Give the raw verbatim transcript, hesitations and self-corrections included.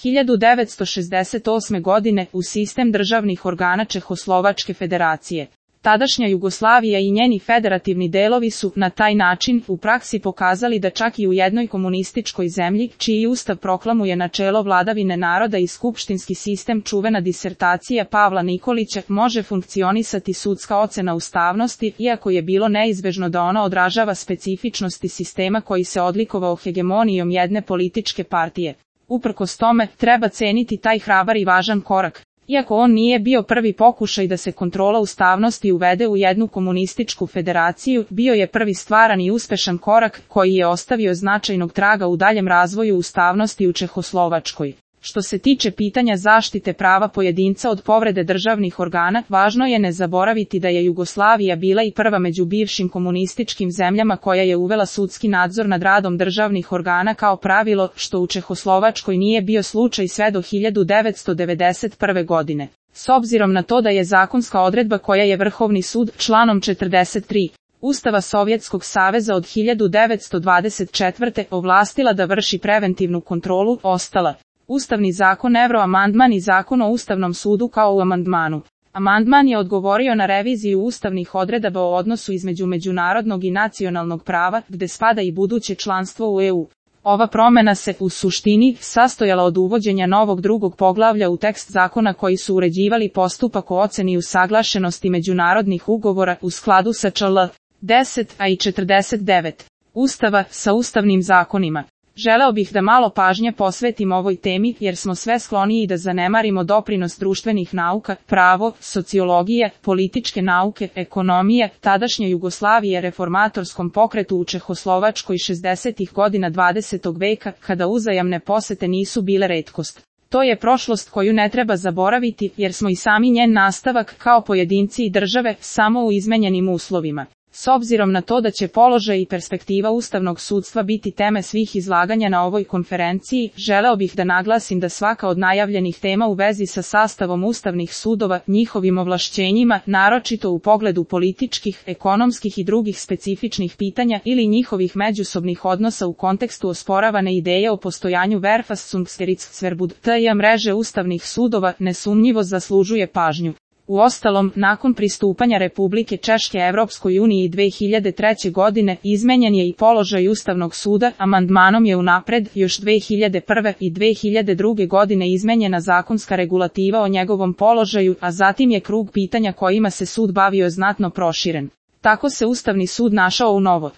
hiljadu devetsto šezdeset osme. godine u sistem državnih organa Čehoslovačke federacije. Tadašnja Jugoslavija i njeni federativni delovi su, na taj način, u praksi pokazali da čak i u jednoj komunističkoj zemlji, čiji ustav proklamuje načelo vladavine naroda i skupštinski sistem, čuvena disertacija Pavla Nikolića, može funkcionisati sudska ocena ustavnosti, iako je bilo neizbežno da ona odražava specifičnosti sistema koji se odlikovao hegemonijom jedne političke partije. Uprkos tome, treba ceniti taj hrabar i važan korak. Iako on nije bio prvi pokušaj da se kontrola ustavnosti uvede u jednu komunističku federaciju, bio je prvi stvaran i uspešan korak koji je ostavio značajnog traga u daljem razvoju ustavnosti u Čehoslovačkoj. Što se tiče pitanja zaštite prava pojedinca od povrede državnih organa, važno je ne zaboraviti da je Jugoslavija bila i prva među bivšim komunističkim zemljama koja je uvela sudski nadzor nad radom državnih organa kao pravilo, što u Čehoslovačkoj nije bio slučaj sve do hiljadu devetsto devedeset prve. godine. S obzirom na to da je zakonska odredba koja je Vrhovni sud, članom četrdeset tri. Ustava Sovjetskog saveza od hiljadu devetsto dvadeset četvrte. ovlastila da vrši preventivnu kontrolu, ostala. Ustavni zakon Evroamandman i zakon o Ustavnom sudu kao u amandmanu. Amandman je odgovorio na reviziju ustavnih odredaba o odnosu između međunarodnog i nacionalnog prava, gde spada i buduće članstvo u E U. Ova promena se, u suštini, sastojala od uvođenja novog drugog poglavlja u tekst zakona koji su uređivali postupak o oceni usaglašenosti međunarodnih ugovora u skladu sa čl. deset a i četrdeset devet. Ustava, sa ustavnim zakonima. Želeo bih da malo pažnje posvetim ovoj temi, jer smo sve skloniji da zanemarimo doprinos društvenih nauka, pravo, sociologije, političke nauke, ekonomije, tadašnje Jugoslavije reformatorskom pokretu u Čehoslovačkoj šezdesetih godina dvadesetog veka, kada uzajamne posete nisu bile retkost. To je prošlost koju ne treba zaboraviti, jer smo i sami njen nastavak, kao pojedinci i države, samo u izmenjenim uslovima. S obzirom na to da će položaj i perspektiva ustavnog sudstva biti teme svih izlaganja na ovoj konferenciji, želeo bih da naglasim da svaka od najavljenih tema u vezi sa sastavom ustavnih sudova, njihovim ovlašćenjima, naročito u pogledu političkih, ekonomskih i drugih specifičnih pitanja ili njihovih međusobnih odnosa u kontekstu osporavane ideje o postojanju Verfassungsgerichtsverbund T I A mreže ustavnih sudova, nesumnjivo zaslužuje pažnju. Uostalom, nakon pristupanja Republike Češke Evropskoj uniji dve hiljade treće. godine, izmenjen je i položaj Ustavnog suda, amandmanom je unapred, još dve hiljade prve. i dve hiljade druge. godine izmenjena zakonska regulativa o njegovom položaju, a zatim je krug pitanja kojima se sud bavio znatno proširen. Tako se Ustavni sud našao u novo